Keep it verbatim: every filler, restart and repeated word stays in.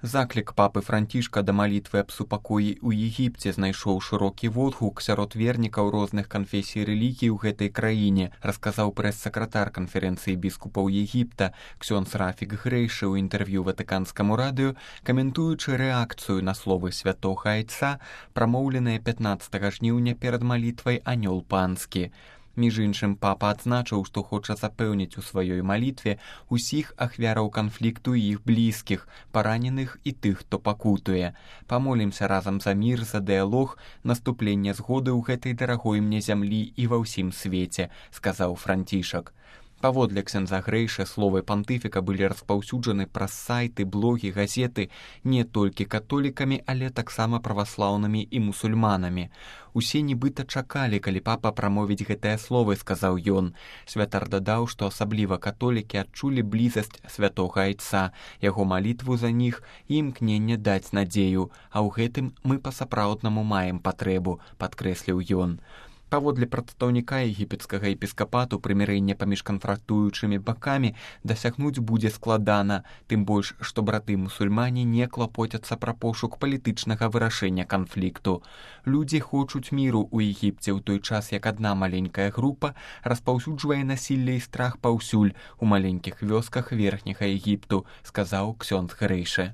Заклік папы Францішка да малітвы аб супакоі ў Егіпце знайшоў шырокі водгук сярод вернікаў розных канфесій рэлігій у гэтай краіне, расказаў прэс-сакратар канферэнцыі біскупаў Егіпта ксёндз Рафік Грэйшы ў інтэрв'ю ватыканскаму радыё, каментуючы рэакцыю на словы святога айца, прамоўленыя пятнаццатага жніўня перад малітвай «Анёл панскі». Між іншым, папа адзначыў, што хоча запэўніць у сваёй малітве усіх ахвяраў канфлікту і іх блізкіх, параненых і тых, хто пакутуе. Памолімся разам за мір, за дыялог, наступленне згоды ў гэтай дарагой мне зямлі і ва ўсім свеце, сказаў Францішак. Паводле ксяндза Грэйшы, словы пантыфіка былі распаўсюджаны праз сайты, блогі, газеты не толькі католікамі, але таксама праваслаўнымі і мусульманамі. Усе нібыта чакалі, калі папа прамовіць гэтыя словы, сказаў ён. Святар дадаў, што асабліва католікі адчулі блізасць святога айца, яго малітву за них і імкненне даць надзею, а ў гэтым мы па-сапраўднаму маем патрэбу, падкрэсліў ён. Паводле прадстаўніка егіпецкага епіскапату, прымірэнне паміж канфрактуючымі бакамі дасягнуць будзе складана, тым больш, што браты-мусульмане не клапоцяцца пра пошук палітычнага вырашэння канфлікту. Людзі хочуць міру ў Егіпце ў той час, як адна маленькая група распаўсюджвае насілле і страх паўсюль у маленькіх вёсках верхняга Егіпту, сказаў ксёндз Грэйшы.